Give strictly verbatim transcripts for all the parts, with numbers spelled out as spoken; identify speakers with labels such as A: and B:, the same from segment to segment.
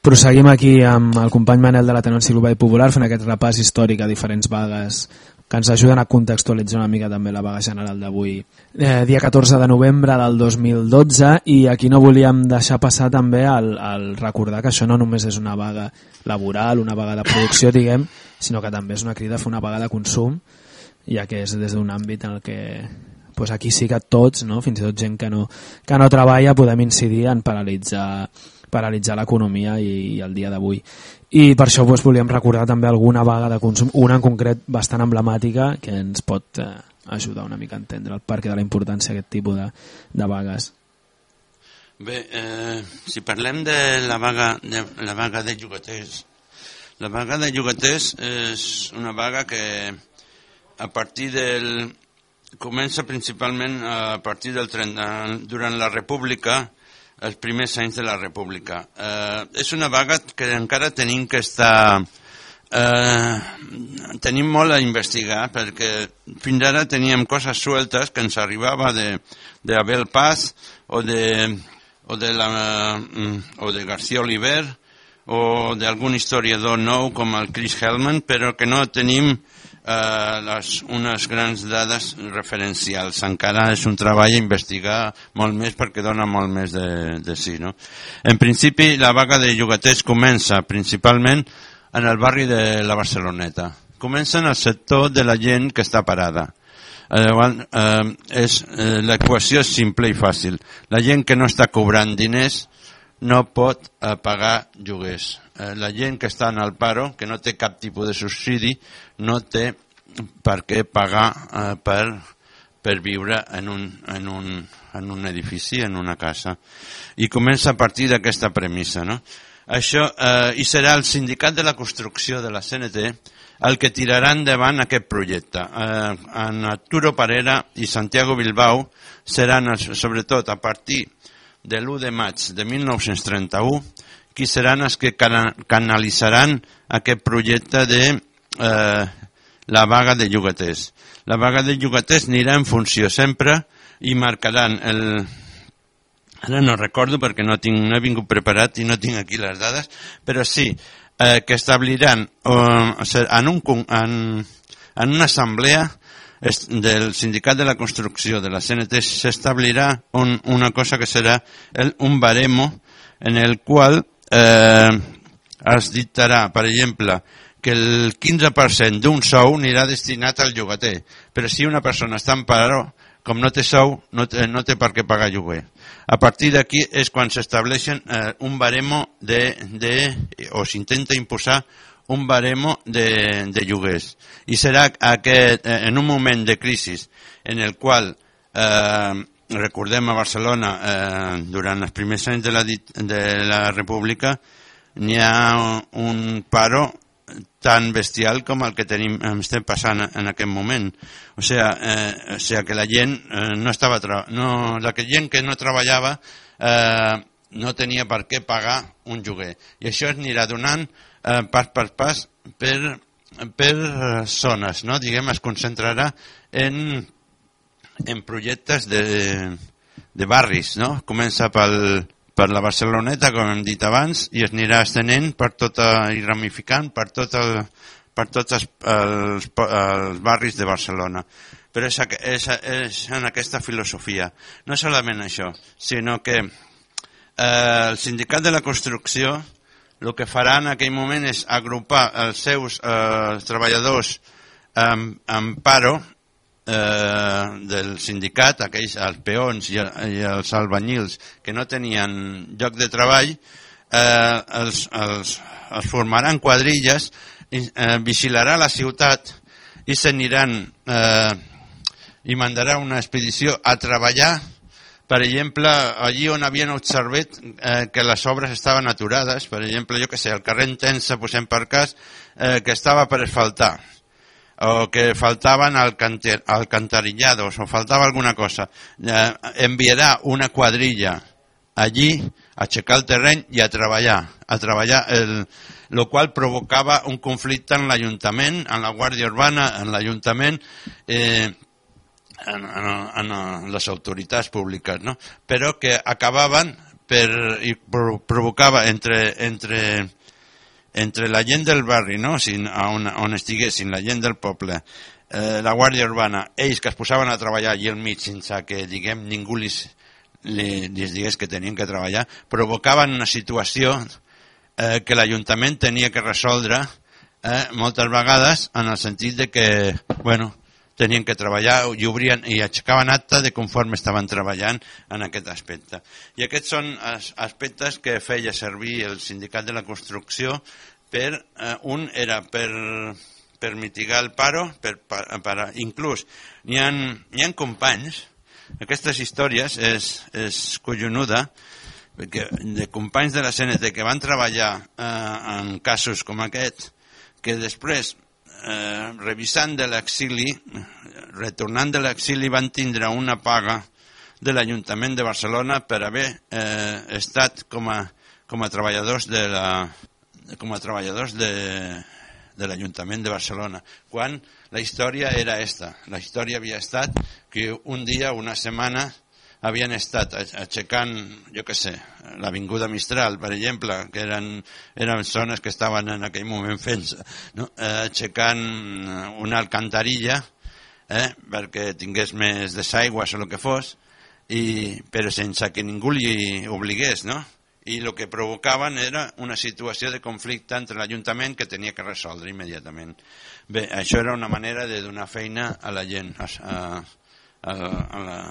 A: Proseguim aquí amb el company Manel de l'Ateneu Enciclopèdia Popular fent aquest repàs històric a diferents vagues que ens ajuden a contextualitzar una mica també la vaga general d'avui. Eh, dia catorze de novembre del dos mil dotze, i aquí no volíem deixar passar també el, el recordar que això no només és una vaga laboral, una vaga de producció, diguem, sinó que també és una crida a fer una vaga de consum, ja que és des d'un àmbit en el que pues aquí sí que tots, no? Fins i tot gent que no, que no treballa, podem incidir en paralitzar paralitzar l'economia i, i el dia d'avui. I per això doncs, volíem recordar també alguna vaga de consum, una en concret bastant emblemàtica que ens pot eh, ajudar una mica a entendre el perquè de la importància d'aquest tipus de, de vagues.
B: Bé, eh, si parlem de la vaga de, la vaga de llogaters, la vaga de llogaters és una vaga que a partir del... comença principalment a partir del trenta, durant la República, els primers anys de la República. Eh, és una vaga que encara tenim que estar... Eh, tenim molt a investigar, perquè fins ara teníem coses sueltes que ens arribava de, de Abel Paz o de, o de, la, o de García Oliver o d'algun historiador nou com el Chris Hellman, però que no tenim Uh, les, unes grans dades referencials. Encara és un treball a investigar molt més perquè dona molt més de, de sí, no? En principi, la vaga de llogaters comença principalment en el barri de la Barceloneta. Comença en el sector de la gent que està parada. Uh, uh, és, uh, l'equació és simple i fàcil. La gent que no està cobrant diners no pot uh, pagar lloguers. Uh, la gent que està en el paro, que no té cap tipus de subsidi, no té per què pagar uh, per, per viure en un, en, un, en un edifici, en una casa. I comença a partir d'aquesta premissa, no? Això, uh, i serà el sindicat de la construcció de la C N T el que tirarà endavant aquest projecte. Uh, en Arturo Parera i Santiago Bilbao seran, sobretot a partir de l'u de maig de mil nou-cents trenta-u, qui seran els que canalitzaran aquest projecte de eh, la vaga de llogaters. La vaga de llogaters anirà en funció sempre i marcaran el... Ara no recordo perquè no, tinc, no he vingut preparat i no tinc aquí les dades, però sí eh, que establiran eh, en, un, en, en una assemblea del sindicat de la construcció de la C N T s'establirà un, una cosa que serà el, un baremo en el qual eh, es dictarà, per exemple, que el quinze per cent d'un sou anirà destinat al llogater, però si una persona està en paro, com no té sou, no té, no té per què pagar lloguer. A partir d'aquí és quan s'estableixen eh, un baremo de, de, o s'intenta imposar un baremo de, de lloguers. I serà aquest, en un moment de crisi en el qual, eh, recordem a Barcelona, eh, durant els primers anys de la, de la República, n'hi ha un paro tan bestial com el que tenim, estem passant en aquest moment. O sigui, eh, o sigui que la gent eh, no estava... No, la gent que no treballava eh, no tenia per què pagar un lloguer. I això es anirà donant eh, pas per pas per, per zones, no? Diguem, es concentrarà en, en projectes de, de barris, no? Comença pel, per la Barceloneta, com hem dit abans, i es anirà estenent per tota, i ramificant per, tot el, per tots els, els, els barris de Barcelona. Però és, és, és en aquesta filosofia. No solament això, sinó que eh, el sindicat de la construcció el que farà en aquell moment és agrupar els seus eh, treballadors en, en paro eh, del sindicat, aquells, els peons i, i els albanyils que no tenien lloc de treball, eh, els, els, els formaran quadrilles, i, eh, vigilarà la ciutat i s'aniran eh, i mandarà una expedició a treballar. Per exemple, allí on havien observat eh, que les obres estaven aturades, per exemple, jo que sé, el carrer Entença, posem per cas, eh, que estava per asfaltar, o que faltaven alcantarillados, o faltava alguna cosa, eh, enviarà una quadrilla allí a aixecar el terreny i a treballar, a treballar, el, lo qual provocava un conflicte en l'Ajuntament, en la Guàrdia Urbana, en l'Ajuntament, eh, En, en, en les autoritats públiques, no? Però que acabaven per, i provocava entre, entre, entre la gent del barri, no? Si, on, on estiguessin, la gent del poble, eh, la Guàrdia Urbana, ells que es posaven a treballar allà al mig sense que, diguem, ningú li, li, li digués que tenien que treballar, provocaven una situació eh, que l'Ajuntament tenia que resoldre eh, moltes vegades en el sentit de que, bueno, tenien que treballar i obrien i aixecaven acta de conforme estaven treballant en aquest aspecte. I aquests són aspectes que feia servir el Sindicat de la Construcció per, eh, un era per, per mitigar el paro, per, per, per inclús n'hi ha, n'hi ha companys, aquestes històries és, és collonuda, perquè de companys de la C N T que van treballar eh, en casos com aquest, que després Eh, revisant de l'exili, retornant de l'exili, van tindre una paga de l'Ajuntament de Barcelona per haver eh, estat com a, com a treballadors de la, com a treballadors de, de l'Ajuntament de Barcelona, quan la història era esta. La història havia estat que un dia, una setmana, havien estat aixecant, jo què sé, l'Avinguda Mistral, per exemple, que eren, eren zones que estaven en aquell moment fent, no? eh, aixecant una alcantarilla eh, perquè tingués més desaigües o el que fos, i, però sense que ningú li obligués, no? I el que provocaven era una situació de conflicte entre l'Ajuntament que tenia que resoldre immediatament. Bé, això era una manera de donar feina a la gent, a, a, a, a la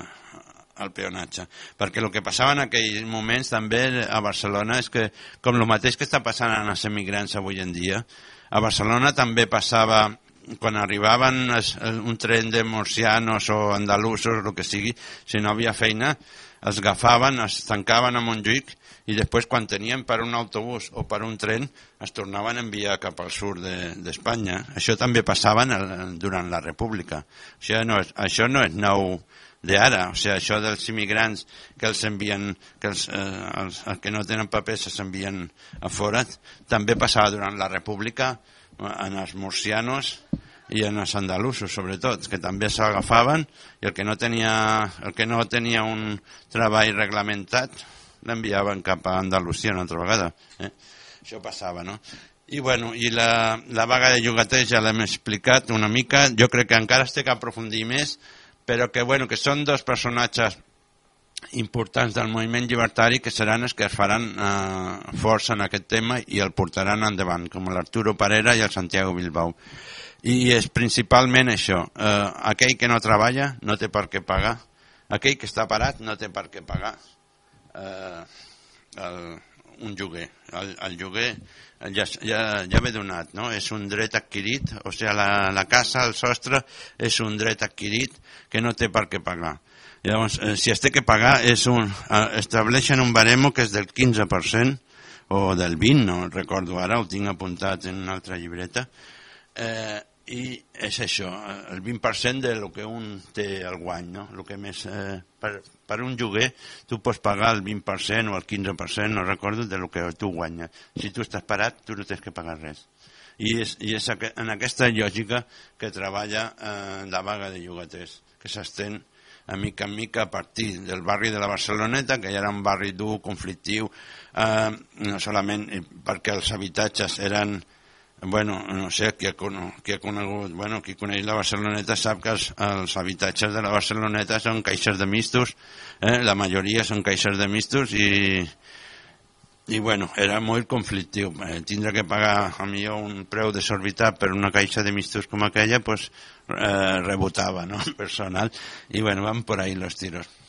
B: al peonatge, perquè el que passava en aquells moments també a Barcelona és que, com el mateix que està passant en els emigrants avui en dia, a Barcelona també passava quan arribaven es, un tren de murcianos o andalusos o el que sigui, si no havia feina els agafaven, es tancaven a Montjuïc i després quan tenien per un autobús o per un tren es tornaven a enviar cap al sud d'Espanya. De, això també passava durant la República. Això no és, això no és nou d'ara, o sigui, això dels immigrants que els envien, que els, eh, els, els que no tenen papers s'envien a fora, també passava durant la República en els murcianos i en els andalusos, sobretot, que també s'agafaven i el que no tenia, el que no tenia un treball reglamentat l'enviaven cap a Andalusia una altra vegada. Eh? Això passava, no? I, bueno, i la, la vaga de llogaters ja l'hem explicat una mica, jo crec que encara es té que aprofundir més, però que, bueno, que són dos personatges importants del moviment llibertari que seran els que es faran eh, força en aquest tema i el portaran endavant, com l'Arturo Parera i el Santiago Bilbao. I és principalment això, eh, aquell que no treballa no té per què pagar, aquell que està parat no té per què pagar eh, el, un lloguer. El, el lloguer ja, ja, ja ve donat, no? És un dret adquirit, o sigui, la, la casa, el sostre, és un dret adquirit que no té per què pagar. Llavors, eh, si es té que pagar, és un, eh, estableixen un baremo que és del quinze per cent o del vint, no recordo ara, ho tinc apuntat en una altra llibreta, eh, i és això, el vint per cent de lo que un té al guany, no? Lo que més, eh, per, per un lloguer tu pots pagar el vint per cent o el quinze per cent, no recordo, de lo que tu guanyes. Si tu estàs parat, tu no tens que pagar res. I és, i és en aquesta lògica que treballa eh, la vaga de llogaters, que s'estén a mica en mica a partir del barri de la Barceloneta, que ja era un barri dur, conflictiu, eh, no solament perquè els habitatges eren, bueno, no sé, qui ha, qui ha conegut, bueno, qui coneix la Barceloneta sap que els, els habitatges de la Barceloneta són caixes de mistos, eh? La majoria són caixes de mistos i, i bueno, era molt conflictiu. Eh, tindre que pagar a millor un preu desorbitat per una caixa de mistos com aquella, pues, eh, rebotava, ¿no? Personal. I bueno, van por ahí los tiros.